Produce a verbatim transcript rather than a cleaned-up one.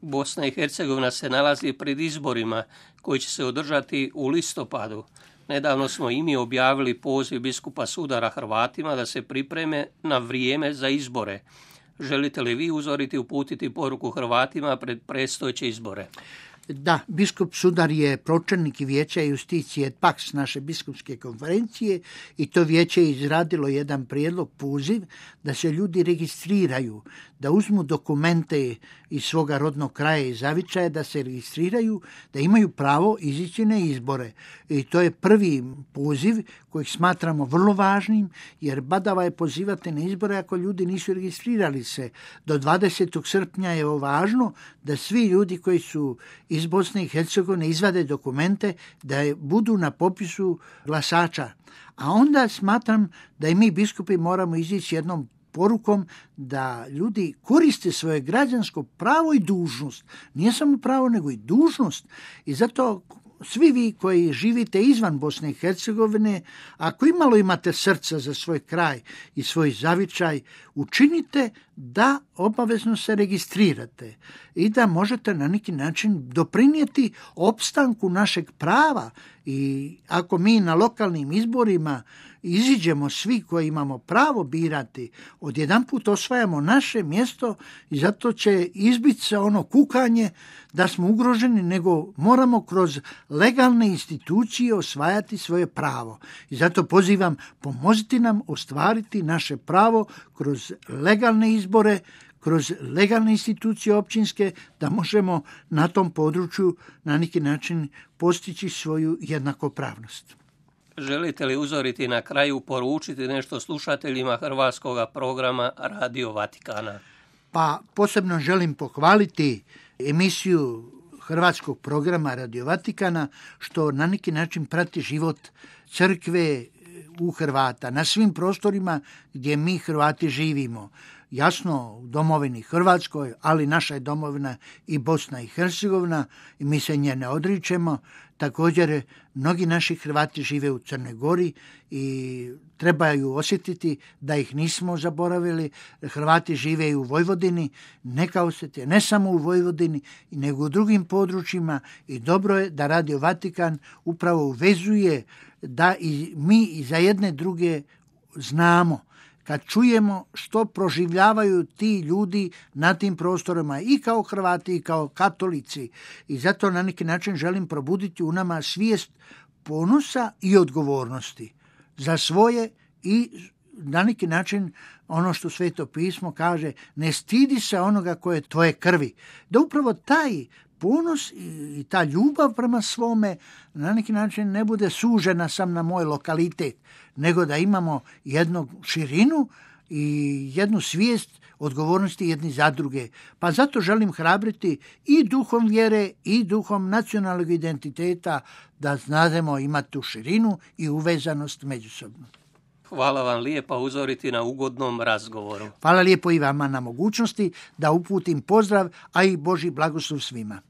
Bosna i Hercegovina se nalazi pred izborima koji će se održati u listopadu. Nedavno smo i mi objavili poziv biskupa Sudara Hrvatima da se pripreme na vrijeme za izbore. Želite li vi uzoriti uputiti poruku Hrvatima pred predstojeće izbore? Da, biskup Sudar je pročelnik Vijeća Justicije et Pax naše biskupske konferencije i to vijeće je izradilo jedan prijedlog, poziv da se ljudi registriraju, da uzmu dokumente iz svoga rodnog kraja i zavičaja, da se registriraju, da imaju pravo izići na izbore. I to je prvi poziv kojeg smatramo vrlo važnim, jer badava je pozivati na izbore ako ljudi nisu registrirali se. Do dvadesetog srpnja je važno da svi ljudi koji su iz Bosne i Hercegovine izvade dokumente da budu na popisu glasača. A onda smatram da i mi biskupi moramo izići jednom porukom da ljudi koriste svoje građansko pravo i dužnost. Nije samo pravo, nego i dužnost. I zato svi vi koji živite izvan Bosne i Hercegovine, ako imalo imate srca za svoj kraj i svoj zavičaj, učinite da obavezno se registrirate i da možete na neki način doprinijeti opstanku našeg prava. I ako mi na lokalnim izborima iziđemo svi koji imamo pravo birati, odjedanput osvajamo naše mjesto i zato će izbiti se ono kukanje da smo ugroženi, nego moramo kroz legalne institucije osvajati svoje pravo. I zato pozivam, pomozite nam ostvariti naše pravo kroz legalne izbore, kroz legalne institucije općinske, da možemo na tom području na neki način postići svoju jednakopravnost. Želite li uzoriti na kraju poručiti nešto slušateljima hrvatskog programa Radio Vatikana? Pa posebno želim pohvaliti emisiju hrvatskog programa Radio Vatikana, što na neki način prati život crkve u Hrvata, na svim prostorima gdje mi Hrvati živimo. Jasno, u domovini Hrvatskoj, ali naša je domovina i Bosna i Hercegovina i mi se nje ne odričemo. Također, mnogi naši Hrvati žive u Crnoj Gori i trebaju osjetiti da ih nismo zaboravili. Hrvati žive i u Vojvodini, neka osjete ne samo u Vojvodini, nego u drugim područjima i dobro je da Radio Vatikan upravo uvezuje da i mi i za jedne druge znamo. Kad čujemo što proživljavaju ti ljudi na tim prostorima i kao Hrvati i kao katolici. I zato na neki način želim probuditi u nama svijest ponosa i odgovornosti za svoje i na neki način ono što Sveto pismo kaže, ne stidi se onoga koje je tvoje krvi. Da upravo taj ponos i ta ljubav prema svome na neki način ne bude sužena sam na moj lokalitet, nego da imamo jednu širinu i jednu svijest odgovornosti jedni za druge. Pa zato želim hrabriti i duhom vjere i duhom nacionalnog identiteta da znademo imati tu širinu i uvezanost međusobno. Hvala vam lijepa uzoriti na ugodnom razgovoru. Hvala lijepo i vama na mogućnosti da uputim pozdrav, a i Božji blagoslov svima.